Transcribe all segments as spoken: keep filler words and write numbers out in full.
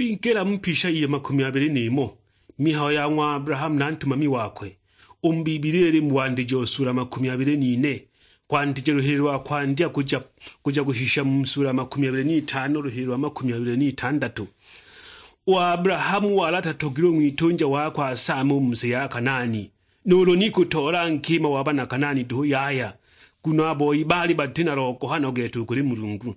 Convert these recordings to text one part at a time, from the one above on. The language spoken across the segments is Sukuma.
Twingila mu pisha iyo makumi abili n'imo, mihayo ya ng'wa Abrahamu na ntumami wakwe. U mu Biblia ili mu wandijo sula makumi abili n'ine, kwandija luhili lwa kwandya kuja, kuja kushisha mu sula makumi abili n'itano luhili lwa makumi abili n'itandatu. U Abrahamu wali atatogilwe ng'witunja wakwe asaame u mu si ya Kanaani, nuulu ni kutoola nkima wa bana Kanaani duhu yaya, nguno a boi baali bati na logohano gete u kuli Mulungu.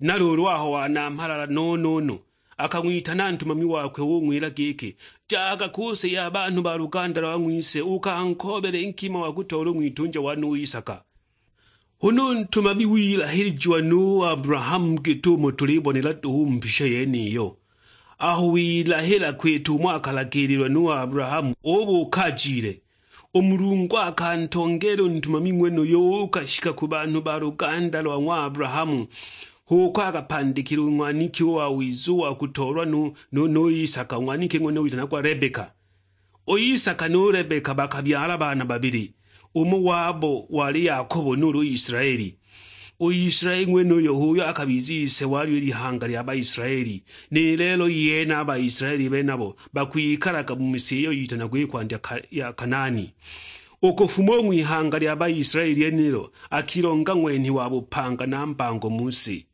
Na luulu aho wanamhala no-no-no, akang'witana ntumami wakwe ung'wila giki, "Jaga ku si ya banhu ba luganda lwa ng'wise, ukankoobele nkima wa kutoola u ng'witunja wane u Isaka." Huna u ntumami wilahilijiwa nu Abrahamu git'umo tulibonela duhu u mu mpisha yeniyo. Aho wilahila kwita umo akalagiililwa nu Abrahamu, ubuuka ajile. U Mulungu akantongeela u ntumami ng'wenuyo uukashika ku banhu ba luganda lwa ng'wa Abrahamu, h'uko akapandikila u ng'waniki u wa wiza u wa kutoolwa nu, nu, nu Isaka, u ng'waniki ng'wenuyo witanagwa Rebeka. U Isaka nu Rebeka bakabyala baana babili, umo wabo wali Yakobo nuulu Isilaeli. U Isilaeli ng'wenuyo h'uyo akabiza ise walyo i lihanga lya Baisilaeli, ni lelo yene a Baisilaeli benabo bakwikalaga mu si iyo yitanagwa i kwandya ka-, ya Kanaani. U kufuma u ng'wihanga lya Baisilaeli lyenilo akilonga ng'wenhi wa bupanga na mbango mu si.